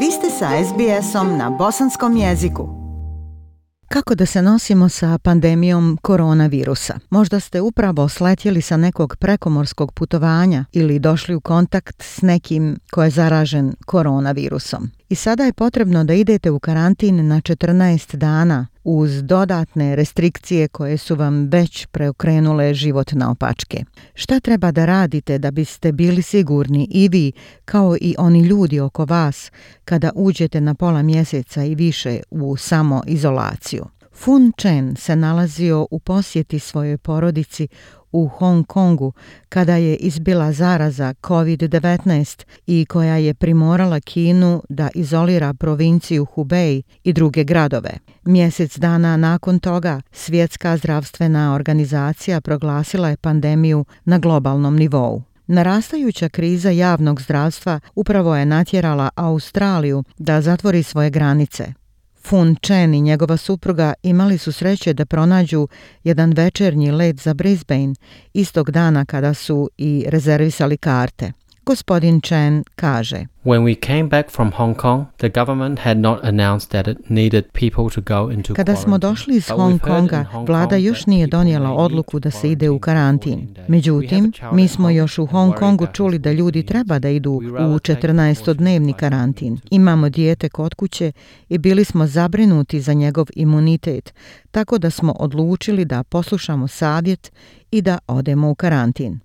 Vi ste sa SBS-om na bosanskom jeziku. Kako da se nosimo sa pandemijom koronavirusa? Možda ste upravo sletjeli sa nekog prekomorskog putovanja ili došli u kontakt s nekim ko je zaražen koronavirusom. I sada je potrebno da idete u karantin na 14 dana uz dodatne restrikcije koje su vam već preokrenule život naopačke. Šta treba da radite da biste bili sigurni i vi kao i oni ljudi oko vas kada uđete na pola mjeseca i više u samoizolaciju? Fun Chen se nalazio u posjeti svojoj porodici u Hong Kongu kada je izbila zaraza COVID-19 i koja je primorala Kinu da izolira provinciju Hubei i druge gradove. Mjesec dana nakon toga Svjetska zdravstvena organizacija proglasila je pandemiju na globalnom nivou. Narastajuća kriza javnog zdravstva upravo je natjerala Australiju da zatvori svoje granice. Fun Chen i njegova supruga imali su sreće da pronađu jedan večernji let za Brisbane istog dana kada su i rezervisali karte. Gospodin Chen kaže: When we came back from Hong Kong, the government had not announced that it needed people to go into Kada smo došli iz Hong Konga, vlada još nije donijela odluku da se ide u karantin. Međutim, mi smo još u Hong Kongu čuli da ljudi treba da idu u 14-dnevni karantin. Imamo dijete kod kuće i bili smo zabrinuti za njegov imunitet, tako da smo odlučili da poslušamo savjet i da odemo u karantin.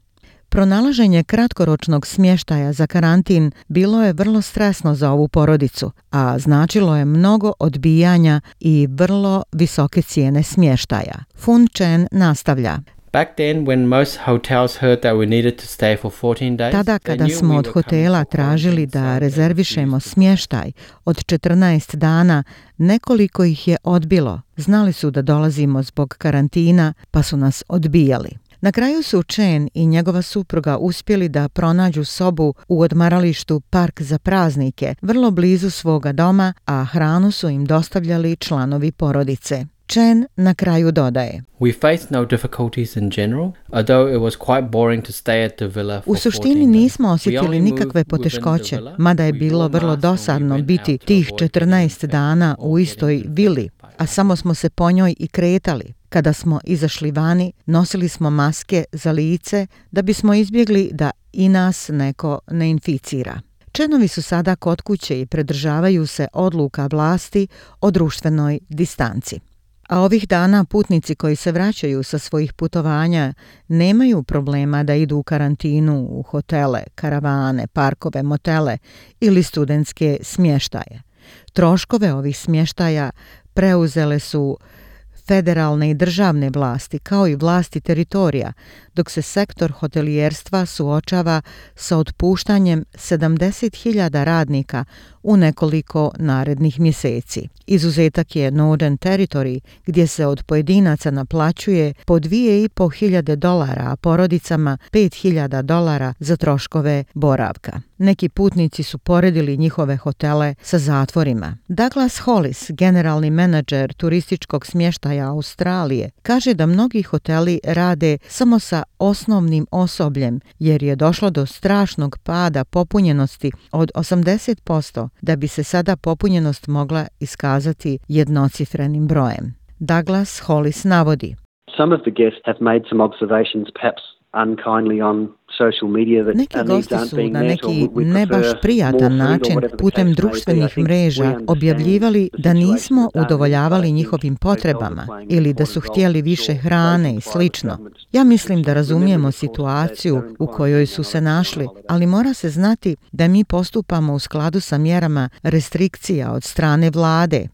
Pronalaženje kratkoročnog smještaja za karantin bilo je vrlo stresno za ovu porodicu, a značilo je mnogo odbijanja i vrlo visoke cijene smještaja. Fun Chen nastavlja: Back then, when most hotels heard that we needed to stay for 14 days, tada kada smo od hotela tražili da rezervišemo smještaj od 14 dana, nekoliko ih je odbilo. Znali su da dolazimo zbog karantina, pa su nas odbijali. Na kraju su Chen i njegova supruga uspjeli da pronađu sobu u odmaralištu Park za praznike, vrlo blizu svoga doma, a hranu su im dostavljali članovi porodice. Chen na kraju dodaje: We faced no difficulties in general, although it was quite boring to stay at the villa for 14 days. U suštini nismo osjetili nikakve poteškoće, mada je bilo vrlo dosadno biti tih 14 dana u istoj vili, a samo smo se po njoj i kretali. Kada smo izašli vani, nosili smo maske za lice da bismo izbjegli da i nas neko ne inficira. Chenovi su sada kod kuće i pridržavaju se odluka vlasti o društvenoj distanci. A ovih dana putnici koji se vraćaju sa svojih putovanja nemaju problema da idu u karantinu u hotele, karavane, parkove, motele ili studentske smještaje. Troškove ovih smještaja preuzele su federalne i državne vlasti, kao i vlasti teritorija, dok se sektor hotelijerstva suočava sa otpuštanjem 70.000 radnika u nekoliko narednih mjeseci. Izuzetak je Northern Territory, gdje se od pojedinaca naplaćuje po $2.500, a porodicama $5.000 za troškove boravka. Neki putnici su poredili njihove hotele sa zatvorima. Douglas Hollis, generalni menadžer turističkog smještaja Australije, kaže da mnogi hoteli rade samo sa osnovnim osobljem, jer je došlo do strašnog pada popunjenosti od 80%, da bi se sada popunjenost mogla iskazati jednocifrenim brojem. Douglas Hollis navodi: Some of the guests have made some observations, perhaps unkindly on social media, that neki gosti su na neki ne baš prijatan način putem društvenih mreža objavljivali da nismo udovoljavali njihovim potrebama ili da su htjeli više hrane i slično. Ja mislim da razumijemo situaciju u kojoj su se našli, ali mora se znati da mi postupamo u skladu sa mjerama restrikcija od strane vlade.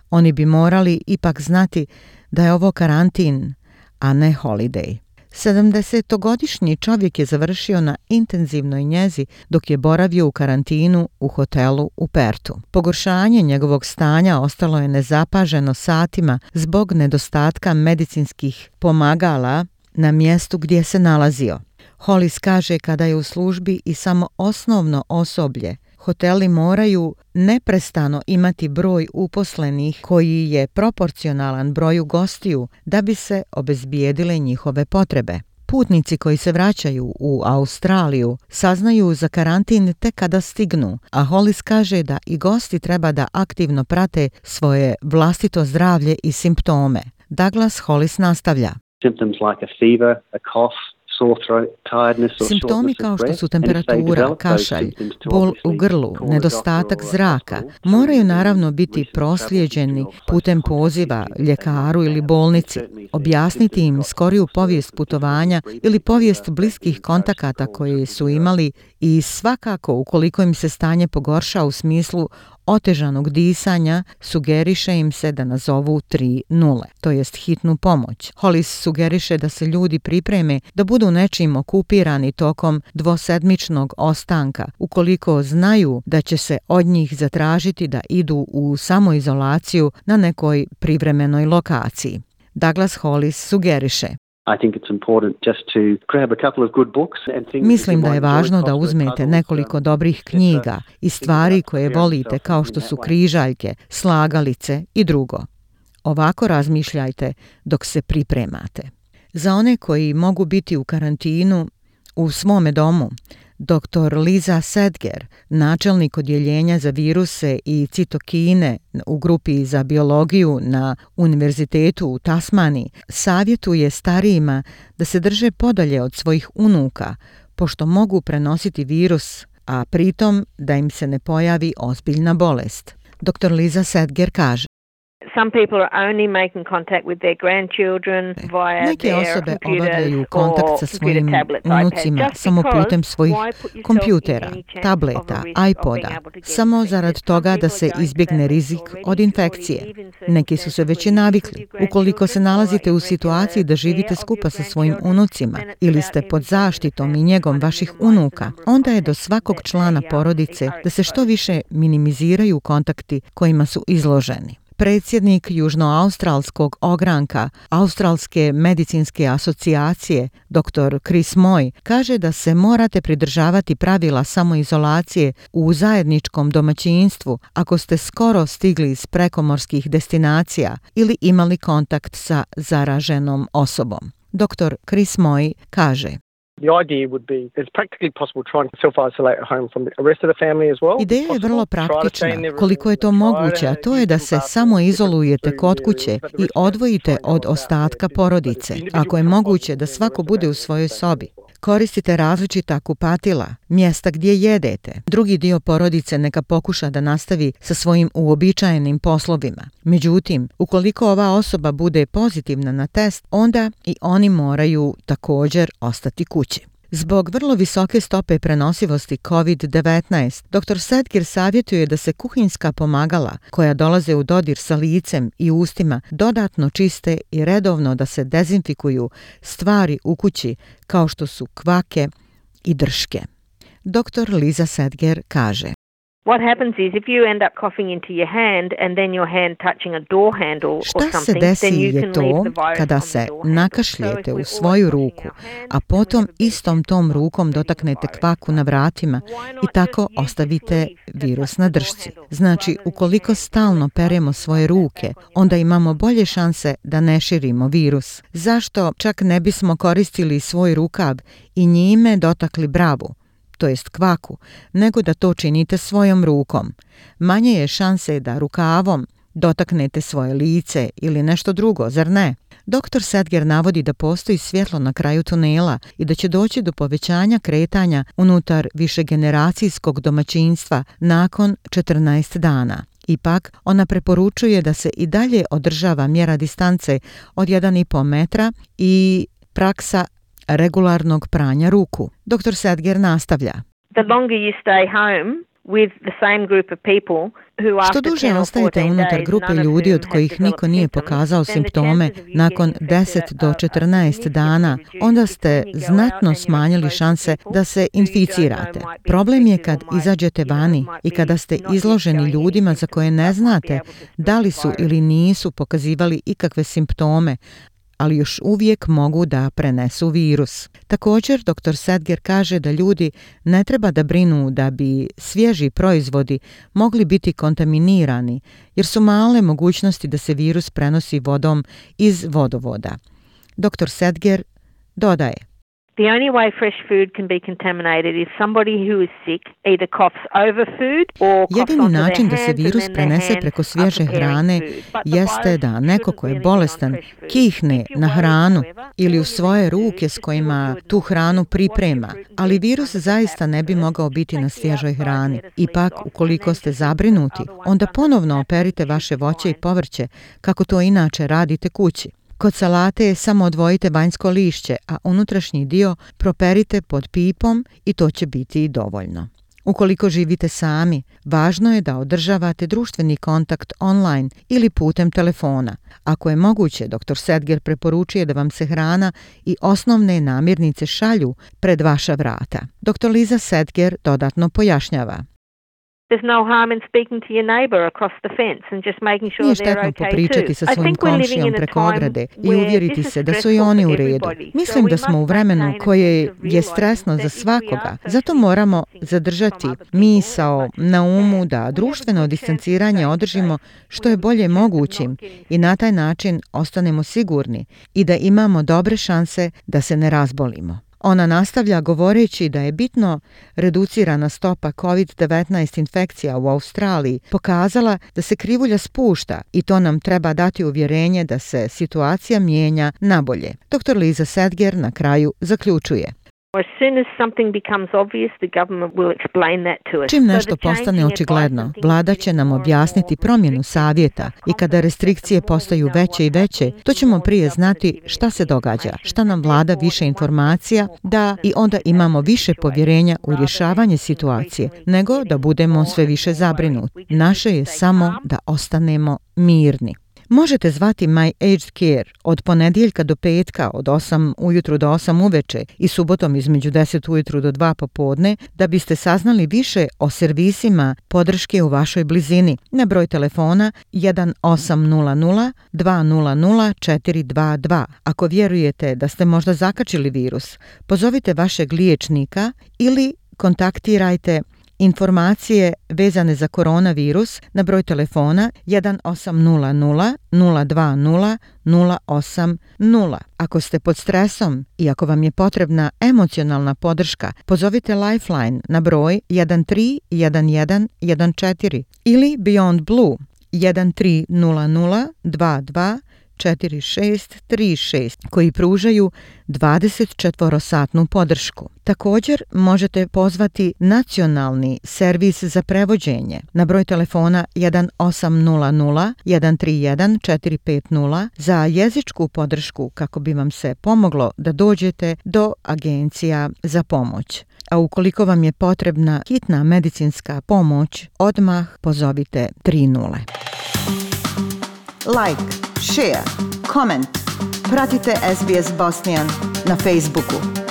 Oni bi morali ipak znati da je ovo karantin, a ne holiday. 70-godišnji čovjek je završio na intenzivnoj njezi dok je boravio u karantinu u hotelu u Pertu. Pogoršanje njegovog stanja ostalo je nezapaženo satima zbog nedostatka medicinskih pomagala na mjestu gdje se nalazio. Hollis kaže kada je u službi i samo osnovno osoblje, hoteli moraju neprestano imati broj uposlenih koji je proporcionalan broju gostiju da bi se obezbijedile njihove potrebe. Putnici koji se vraćaju u Australiju saznaju za karantin tek kada stignu, a Hollis kaže da i gosti treba da aktivno prate svoje vlastito zdravlje i simptome. Douglas Hollis nastavlja. Symptoms like a fever, a cough, sore throat, tiredness or Simptomi kao što su temperatura, kašalj, bol u grlu, nedostatak zraka moraju naravno biti proslijeđeni putem poziva ljekaru ili bolnici, objasniti im skoriju povijest putovanja ili povijest bliskih kontakata koje su imali i svakako ukoliko im se stanje pogorša u smislu otežanog disanja, sugeriše im se da nazovu 3-0, to jest hitnu pomoć. Hollis sugeriše da se ljudi pripreme da budu nečim okupirani tokom dvosedmičnog ostanka, ukoliko znaju da će se od njih zatražiti da idu u samoizolaciju na nekoj privremenoj lokaciji. Douglas Hollis sugeriše. Mislim da je važno da uzmete nekoliko dobrih knjiga i stvari koje volite kao što su križaljke, slagalice i drugo. Ovako razmišljajte dok se pripremate. Za one koji mogu biti u karantinu u svome domu, dr. Liza Sedger, načelnik odjeljenja za viruse i citokine u grupi za biologiju na Univerzitetu u Tasmaniji, savjetuje starijima da se drže podalje od svojih unuka, pošto mogu prenositi virus, a pritom da im se ne pojavi ozbiljna bolest. Dr. Liza Sedger kaže. Some people are only making contact with their grandchildren via Neke osobe obavljaju kontakt sa svojim unucima samo putem svojih kompjutera, tableta, iPoda, samo zarad toga da se izbjegne rizik od infekcije. Neki su se već i navikli. Ukoliko se nalazite u situaciji da živite skupa sa svojim unucima ili ste pod zaštitom i njegom vaših unuka, onda je do svakog člana porodice da se što više minimiziraju kontakti kojima su izloženi. Predsjednik Južnoaustralskog ogranka Australske medicinske asocijacije, dr. Chris Moy, kaže da se morate pridržavati pravila samoizolacije u zajedničkom domaćinstvu ako ste skoro stigli iz prekomorskih destinacija ili imali kontakt sa zaraženom osobom. Dr. Chris Moy kaže. Ideja je vrlo praktična, koliko je to moguće, a to je da se samo izolujete kod kuće i odvojite od ostatka porodice, ako je moguće da svako bude u svojoj sobi. Koristite različita kupatila, mjesta gdje jedete. Drugi dio porodice neka pokuša da nastavi sa svojim uobičajenim poslovima. Međutim, ukoliko ova osoba bude pozitivna na test, onda i oni moraju također ostati kući. Zbog vrlo visoke stope prenosivosti COVID-19, dr. Sedger savjetuje da se kuhinjska pomagala koja dolaze u dodir sa licem i ustima dodatno čiste i redovno da se dezinfikuju stvari u kući kao što su kvake i drške. Dr. Liza Sedger kaže. What happens is if you end up coughing into your hand and then your hand touching a door handle or something, then you can leave the virus kada se nakašljete u svoju ruku, a potom istom tom rukom dotaknete kvaku na vratima i tako ostavite virus na dršci. Znači, ukoliko stalno peremo svoje ruke, onda imamo bolje šanse da ne širimo virus. Zašto čak ne bismo koristili svoj rukav i njime dotakli bravu, to jest kvaku, nego da to činite svojom rukom. Manje je šanse da rukavom dotaknete svoje lice ili nešto drugo, zar ne? Dr. Sedger navodi da postoji svjetlo na kraju tunela i da će doći do povećanja kretanja unutar višegeneracijskog domaćinstva nakon 14 dana. Ipak, ona preporučuje da se i dalje održava mjera distance od 1,5 metra i praksa regularnog pranja ruku. Dr. Sedger nastavlja. The longer you stay home with the same group of people who after Što duže ostajete unutar grupe ljudi od kojih niko nije pokazao simptome nakon 10 do 14 dana, onda ste znatno smanjili šanse da se inficirate. Problem je kad izađete vani i kada ste izloženi ljudima za koje ne znate da li su ili nisu pokazivali ikakve simptome, ali još uvijek mogu da prenesu virus. Također, dr. Sedger kaže da ljudi ne treba da brinu da bi svježi proizvodi mogli biti kontaminirani, jer su male mogućnosti da se virus prenosi vodom iz vodovoda. Dr. Sedger dodaje. The only way fresh food can be contaminated is somebody who is sick either coughs over food or coughs Jedini onto their način da se hands virus and then prenese their hands preko are svježe preparing hrane food. But the jeste virus da neko shouldn't ko je really bolestan get on fresh food. kihne If you na worry, hranu however, ili u all you svoje need to do ruke is s just kojima do a tu hranu wash your priprema, fruit and ali veg virus under the zaista tap ne bi first. mogao biti na Take the svježoj outside hrani. lettuce Ipak, leaves off ukoliko and ste then just put zabrinuti, other ones onda under the ponovno tap operite and vaše you should voće i fine. povrće, kako to inače radite kući. Kod salate samo odvojite vanjsko lišće, a unutrašnji dio properite pod pipom i to će biti i dovoljno. Ukoliko živite sami, važno je da održavate društveni kontakt online ili putem telefona. Ako je moguće, dr. Sedger preporučuje da vam se hrana i osnovne namirnice šalju pred vaša vrata. Dr. Liza Sedger dodatno pojašnjava. There's no harm in speaking to your neighbor across the fence and just making sure Nije they're štetno okay popričati too. sa I svojim think we're living komšijom in a preko time ograde i where uvjeriti this is se da su i stressful oni for u redu. everybody. Mislim So da we smo u must vremenu maintain a koje sense of je realizing stresno that za if we svakoga. are Zato socially moramo distancing zadržati from other people misao as much as na we umu can, da we have a društveno good chance of distanciranje staying održimo safe. što je We have a bolje good chance of mogućim not getting i na taj način ostanemo sigurni i da imamo dobre šanse da se ne razbolimo. Ona nastavlja govoreći da je bitno reducirana stopa COVID-19 infekcija u Australiji pokazala da se krivulja spušta i to nam treba dati uvjerenje da se situacija mijenja na bolje. Dr. Liza Sedger na kraju zaključuje. As soon as something becomes obvious, the government will explain that to us. Čim nešto postane očigledno, vlada će nam objasniti promjenu savjeta i kada restrikcije postaju veće i veće, to ćemo prije znati šta se događa, šta nam vlada više informacija, da i onda imamo više povjerenja u rješavanje situacije, nego da budemo sve više zabrinuti. Naše je samo da ostanemo mirni. Možete zvati My Aged Care od ponedjeljka do petka od 8 ujutru do 8 uveče i subotom između 10 ujutru do 2 popodne da biste saznali više o servisima podrške u vašoj blizini na broj telefona 1800 200 422. Ako vjerujete da ste možda zakačili virus, pozovite vašeg liječnika ili kontaktirajte informacije vezane za koronavirus na broj telefona 1800 020 080. Ako ste pod stresom i ako vam je potrebna emocionalna podrška, pozovite Lifeline na broj 131114 ili Beyond Blue 1300 22 4636 koji pružaju 24-satnu podršku. Također možete pozvati nacionalni servis za prevođenje na broj telefona 1800 131 450 za jezičku podršku kako bi vam se pomoglo da dođete do agencija za pomoć. A ukoliko vam je potrebna hitna medicinska pomoć, odmah pozovite 30. Like, share, comment. Pratite SBS Bosnian na Facebooku.